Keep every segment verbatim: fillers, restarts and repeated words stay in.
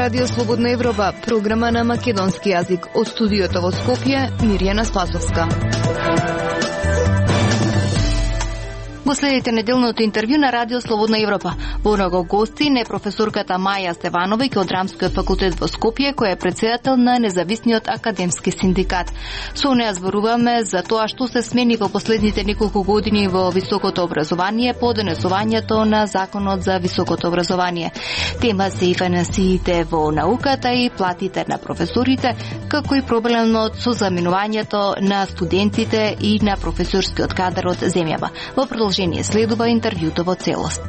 Радио Слободна Европа, програма на македонски јазик. Од студиото во Скопје, Мирјана Спасовска. Го следите неделното интервју на Радио Слободна Европа. Во него гости не професорката Маја Стевановиќ од Драмскиот факултет во Скопје, која е председател на Независниот академски синдикат. Со неа зборуваме за тоа што се смени во последните неколку години во високото образование по донесувањето на Законот за високото образование. Тема се и финансиите во науката и платите на професорите, како и проблемот со заминувањето на студентите и на професорскиот кадар од земјава. Во продолжение следува интервјуто во целост.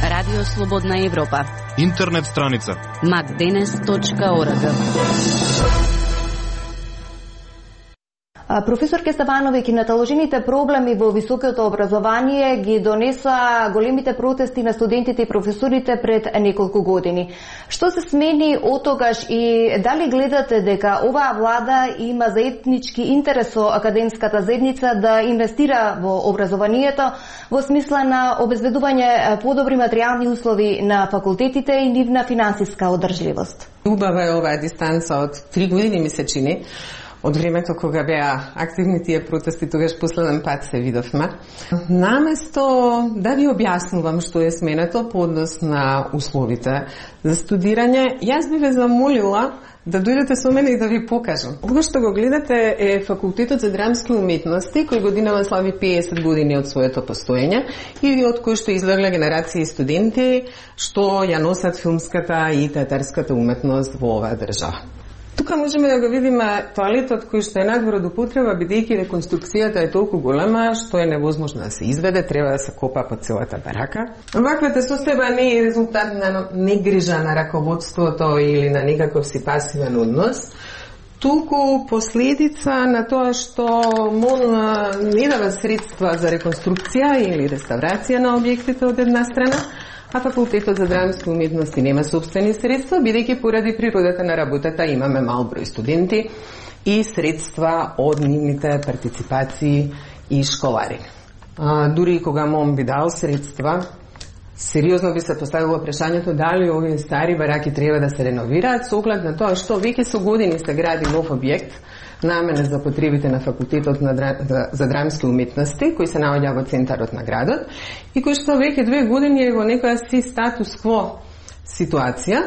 Радио Слободна Европа. Интернет страница макденес точка орг. Професорке Стевановиќ, наталожените проблеми во високото образование ги донеса големите протести на студентите и професорите пред неколку години. Што се смени од тогаш и дали гледате дека оваа влада има заеднички интерес со академската заедница да инвестира во образованието во смисла на обезбедување подобри материјални услови на факултетите и нивна финансиска одржливост? Убава е оваа дистанца од три години, ми се чини. Од времето кога беа активни тие протести, тогаш последен пат се видовме. Наместо да ви објаснувам што е сменето по однос на условите за студирање, јас би ве замолила да дојдете со мене и да ви покажам. Ова што го гледате е Факултетот за драмски уметности, кој годинава слави песет години од своето постоење и од кој што излегла генерации студенти што ја носат филмската и театарската уметност во оваа држава. Тука можеме да го видиме тоалетот кој што е надвор од употреба, бидејќи реконструкцијата е толку голема што е невозможно да се изведе, треба да се копа по целата барака. Ваквата состојба не е резултат на негрижа на раководството или на некаков си пасивен однос, туку последица на тоа што МОН не дава средства за реконструкција или реставрација на објектите од една страна, а Факултетот за драмски уметности нема собствени средства, бидејќи поради природата на работата имаме мал број студенти и средства од нивните партиципации и школари. А, дури и кога МОН би дал средства, сериозно би се поставило прашањето дали овие стари бараки треба да се реновираат со оглед на тоа што веќе со години се гради нов објект наменет за потребите на Факултетот на дра... за драмски уметности, кој се наоѓа во центарот на градот и кој што веќе две години е во некоја си статус-кво ситуација.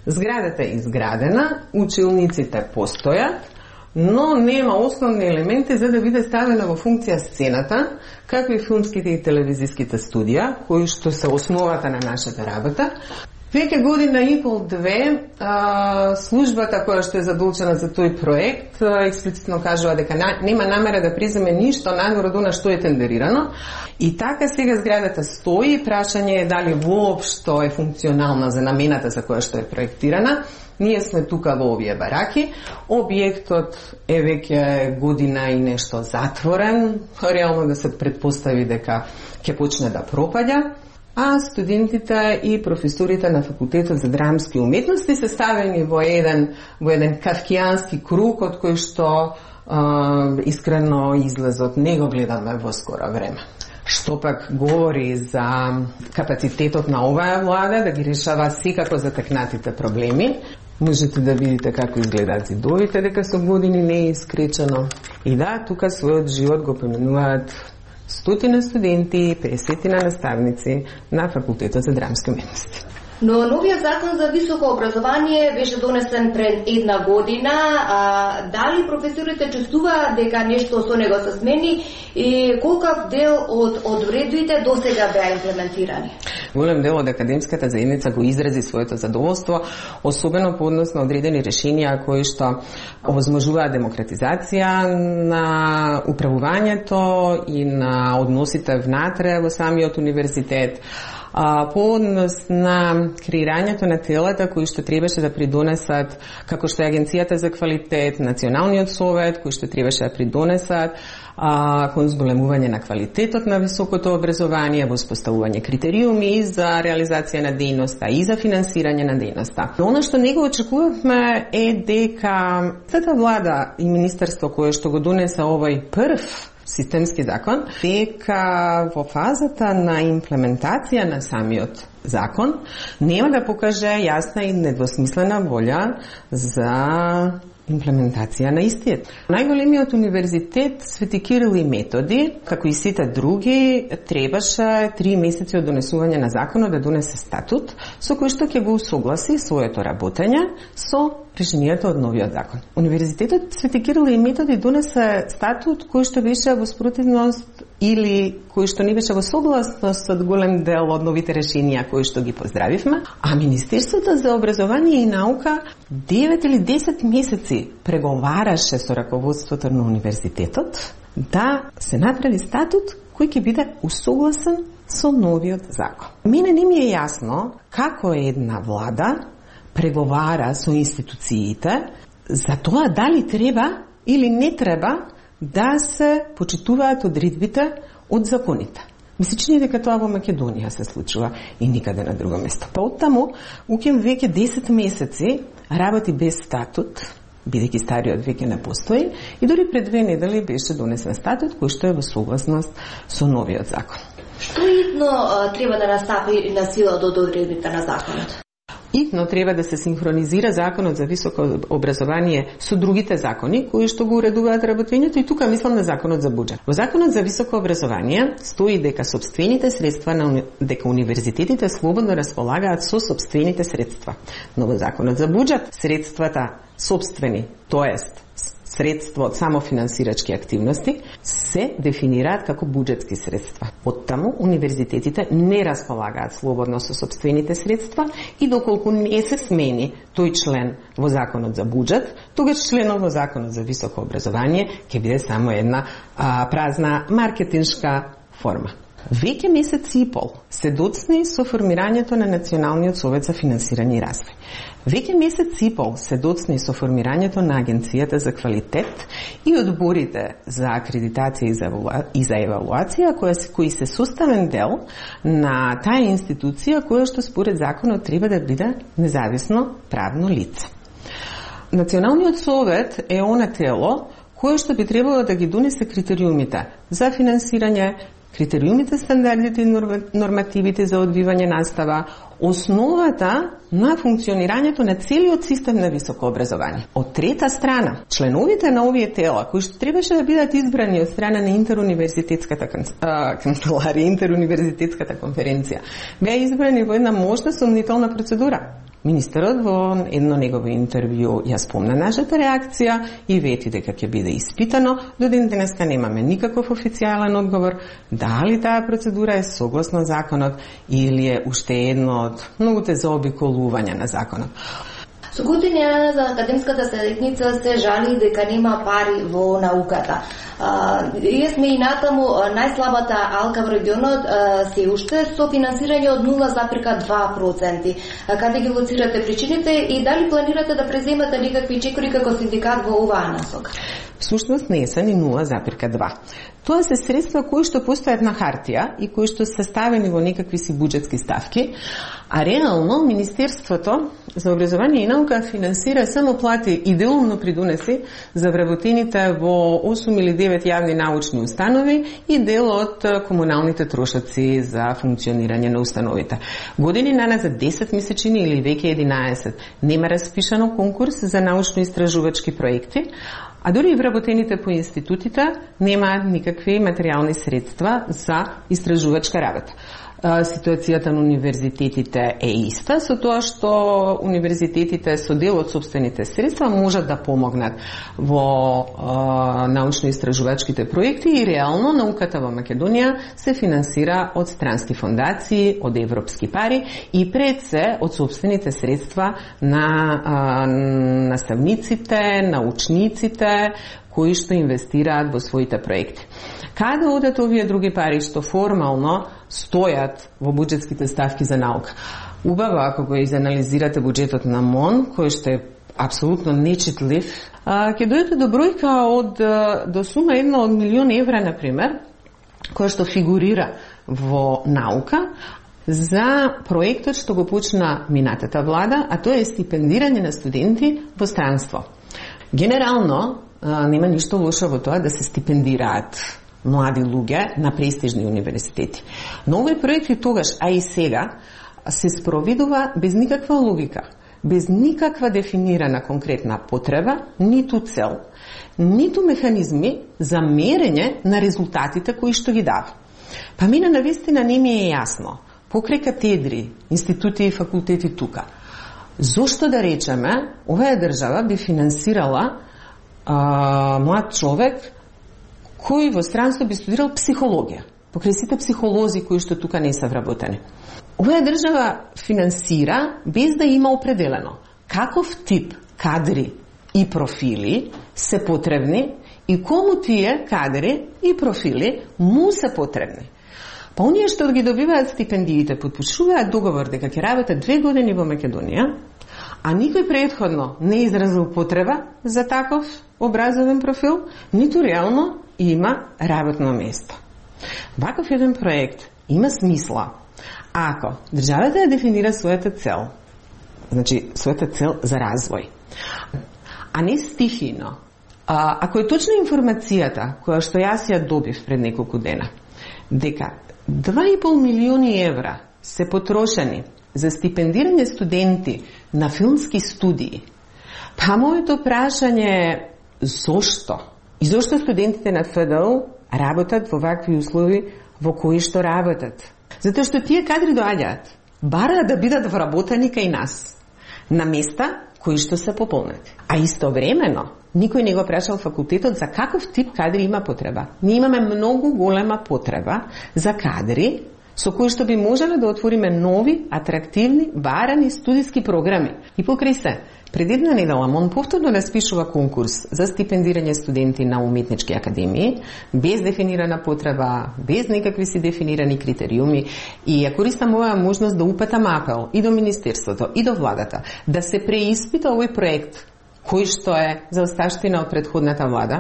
Зградата е изградена, училниците постојат, но нема основни елементи за да биде ставена во функција сцената, како и филмските и телевизиските студија, кои што се основата на нашата работа. Веќе година и пол-две службата која што е задолжена за тој проект експлицитно кажува дека нема намера да преземе ништо надвор од она што е тендерирано и така сега зградата стои. Прашање е дали воопшто е функционална за намената за која што е проектирана. Ние сме тука во овие бараки. Објектот е веќе година и нешто затворен. Реално да се предпостави дека ќе почне да пропаѓа. А студентите и професорите на Факултетот за драмски уметности се ставени во еден, во еден кавкијански круг од кој што а, искрено излезот не го гледаме во скоро време. Што пак говори за капацитетот на оваа влада да ги решава секако затекнатите проблеми. Можете да видите како изгледаат зидовите, дека со години не е искречено. И да, тука својот живот го поменуваат стотина студенти, песетина наставници на Факултетот за драмски уметности. Но новиот закон за високо образование беше донесен пред една година. А, дали професорите чувствуваат дека нешто со него се смени и колкав дел од од уредбите досега беа имплементирани? Голем дел од академската заедница го изрази своето задоволство, особено по однос на одредени решенија кои што овозможуваат демократизација на управувањето и на односите внатре во самиот универзитет. А, по однос на креирањето на телата кои што требаше да придонесат, како што е Агенцијата за квалитет, Националниот совет, кои што требаше да придонесат а, кон зголемување на квалитетот на високото образование, воспоставување критериуми за реализација на дејноста и за финансирање на дејноста. Оно што него очекувавме е дека тата влада и министерство кое што го донесе овој прв системски закон, дека во фазата на имплементација на самиот закон нема да покаже јасна и недвосмислена волја за имплементација на истиот. Најголемиот универзитет Свети Кирил и Методи, како и сите други, требаше три месеци од донесување на законот да донесе статут со кој што ќе го усогласи своето работење со решението од новиот закон. Универзитетот Свети Кирил и Методи донесе статут кој што беше во спротивност или кој што не беше во согласност од голем дел од новите решенија кои што ги поздравивме, а Министерството за образование и наука девет или десет месеци преговараше со раководството на универзитетот да се направи статут кој ќе биде усогласен со новиот закон. Мене не ми е јасно како една влада преговара со институциите за тоа дали треба или не треба да се почитуваат одредбите од законите. Ми се чини дека тоа во Македонија се случува и никаде на друго место. Па оттаму, УКИМ веќе десет месеци работи без статут, бидејќи стариот веќе не постои, и дори пред две недели беше донесен статут кој што е во согласност со новиот закон. Што идно треба да настапи на сила до одредбите на законот? Итно треба да се синхронизира законот за високо образование со другите закони кои што го уредуваат работењето, и тука мислам на законот за буџет. Во законот за високо образование стои дека собствените средства на дека универзитетите слободно располагаат со собствените средства. Но во законот за буџет средствата собствени, тоест средства од самофинансирачки активности, се дефинираат како буџетски средства. Оттаму, универзитетите не располагаат слободно со собствените средства и доколку не се смени тој член во законот за буџет, тогаш членот во законот за високо образование ќе биде само една а, празна маркетиншка форма. Веќе месец и пол се доцни со формирањето на Националниот совет за финансирање и развој. Веќе месец и пол се доцни со формирањето на Агенцијата за квалитет и одборите за акредитација и за, и за евалуација, кои се составен дел на таа институција која што според законот треба да биде независно правно лице. Националниот совет е она тело кое што би требало да ги донесе критериумите за финансирање, критериумите, стандардите и нормативите за одвивање настава, основата на функционирањето на целиот систем на високо образование. Од трета страна, членовите на овие тела, кои што требаше да бидат избрани од страна на интеруниверзитетската канцеларија, интеруниверзитетската конференција, беа избрани во една можна сомнителна процедура. Министерот во едно негово интервју ја спомна нашата реакција и вети дека ќе биде испитано. До ден денеска немаме никаков официјален одговор дали таа процедура е согласно законот или е уште едно од многуте заобиколувања на законот. Со години за академската заедница се жали дека нема пари во науката. Ние сме и натаму најслабата алка во регионот се уште со финансирање од нула запирка два проценти. Каде ги лоцирате причините и дали планирате да преземате некакви чекори како синдикат во оваа насока? Всушност не се ни нула запирка два. Тоа се средства кои што постојат на хартија и кои што се ставени во некакви си буџетски ставки, а реално Министерството за образование и наука финансира само плати и делумно придонеси за вработените во осум или девет јавни научни установи и дел од комуналните трошоци за функционирање на установите. Години наназад десет месечини или веќе единаесет нема распишано конкурс за научно-истражувачки проекти, а дури и вработените по институтите немаат никакви материјални средства за истражувачка работа. Ситуацијата на универзитетите е иста, со тоа што универзитетите со дел од собствените средства можат да помогнат во научно-истражувачките проекти и реално науката во Македонија се финансира од странски фондации, од европски пари и пред се од собствените средства на а, наставниците, научниците, кои што инвестираат во своите проекти. Каде одат овие други пари што формално стојат во буџетските ставки за наука? Убаво, ако го изанализирате буџетот на МОН, кој што е апсолутно нечитлив, ќе дојдете до бројка од до сума една од милион евра, например, која што фигурира во наука, за проектот што го почна минатата влада, а тоа е стипендирање на студенти во странство. Генерално, нема ништо лошо во тоа да се стипендираат млади луѓе на престижни универзитети. Но овој проект и тогаш, а и сега, се спроведува без никаква логика, без никаква дефинирана конкретна потреба, ниту цел, ниту механизми за мерење на резултатите кои што ги дава. Па мене навистина не ми е јасно, покрај катедри, институти и факултети тука, зошто да речеме, оваа држава би финансирала а, млад човек кој во странство би студирал психологија, покрај сите психолози кои што тука не се вработени. Оваа држава финансира без да има определено каков тип кадри и профили се потребни и кому тие кадри и профили му се потребни. Па оние што ги добиваат стипендиите, подпишуваат договор дека ќе работат две години во Македонија, а никој предходно не изразил потреба за таков образовен профил, ниту реално има работно место. Ваков еден проект има смисла ако државата ја дефинира својата цел, значи својата цел за развој, а не стихино. А, ако е точна информацијата која што јас ја добив пред неколку дена, дека два и пол милиони евра се потрошени за стипендирање студенти на филмски студии, па моето прашање е зошто? И зошто студентите на Ф Д У работат во вакви услови во кои што работат? Затоа што тие кадри доаѓаат, бараат да бидат вработени кај нас, на места кои што се пополнати. А истовремено, никој не го прашал факултетот за каков тип кадри има потреба. Ние имаме многу голема потреба за кадри со кои што би можеле да отвориме нови, атрактивни, барани студиски програми. И покрај се, пред една недела МОН повторно распишува конкурс за стипендирање студенти на уметнички академии, без дефинирана потреба, без никакви си дефинирани критериуми, и ја користам оваа можност да упатам апел и до Министерството, и до владата, да се преиспита овој проект, кој што е за осташтина од предходната влада,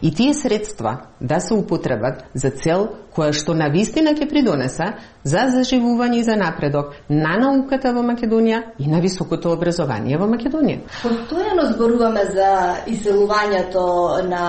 и тие средства да се употребат за цел која што навистина ќе придонесе за заживување и за напредок на науката во Македонија и на високото образование во Македонија. Постојано зборуваме за иселувањето на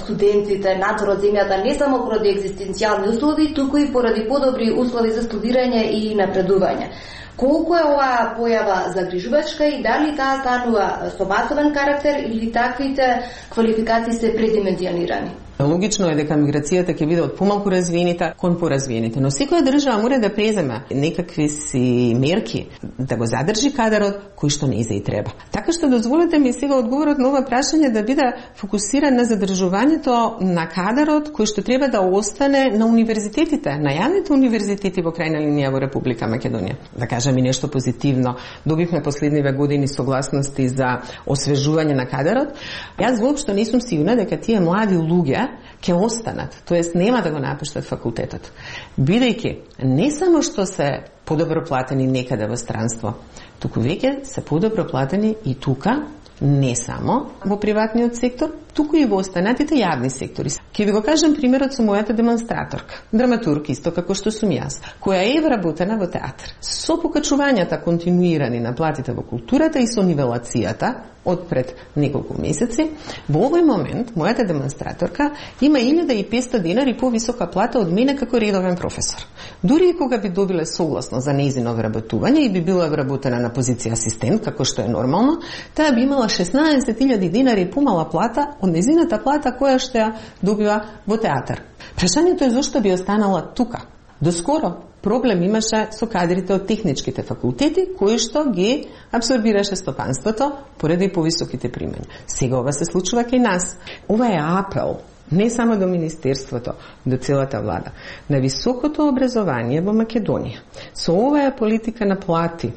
студентите надвор од земјата, не само поради екзистенцијални услови, туку и поради подобри услови за студирање и напредување. Колку е оваа појава загрижувачка и дали таа станува со масовен карактер или таквите квалификации се предимензионирани? Логично е дека миграцијата ќе биде од помалку развиените кон поразвиените, но секоја држава мора да преземе некакви си мерки да го задржи кадарот кој што не и треба. Така што дозволете ми сега одговорот на ова прашање да биде фокусиран на задржувањето на кадарот кој што треба да остане на универзитетите, на јавните универзитети во крајна линија во Република Македонија. Да кажам и нешто позитивно. Добивме последниве години согласности за освежување на кадарот. Јас воопшто не сум сигурна дека тие млади луѓе ќе останат, тоест нема да го напуштат факултетот. Бидејќи не само што се подобро платени некаде во странство, туку веќе се подобро платени и тука, не само во приватниот сектор, туку и во останатите јавни сектори. Ќе ви го кажам примерот со мојата демонстраторка, драматург исто како што сум јас, која е вработена во театар. Со покачувањата континуирани на платите во културата и со нивелацијата од пред неколку месеци, во овој момент мојата демонстраторка има илјада и петстотини денари повисока плата од мене како редовен професор. Дури и кога би добиле согласно за нејзино вработување и би била вработена на позиција асистент, како што е нормално, таа би имала шеснаесет илјади денари помала плата од нејзината плата која што ја добива во театар. Прашањето е зошто би останала тука. Доскоро проблем имаше со кадрите од техничките факултети, кои што ги абсорбираше стопанството поради повисоките примања. Сега ова се случува кај нас. Ова е апел не само до Министерството, до целата влада, на високото образование во Македонија. Со оваа политика на плати,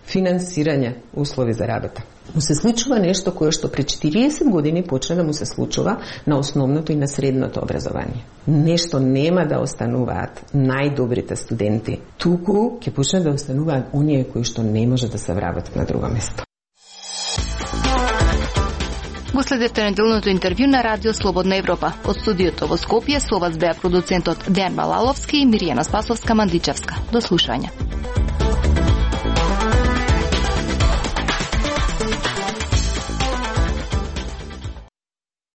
финансирање, услови за работа. Му се случува нешто кое што пред четириесет години почна да му се случува на основното и на средното образование. Нешто нема да остануваат најдобрите студенти, туку ќе почнат да остануваат оние кои што не може да се вработат на друго место. Го следете неделното интервју на Радио Слободна Европа. Од студиото во Скопје со вас беа продуцентот Дејан Балаловски и Миријана Спасовска-Мандличевска. До слушање.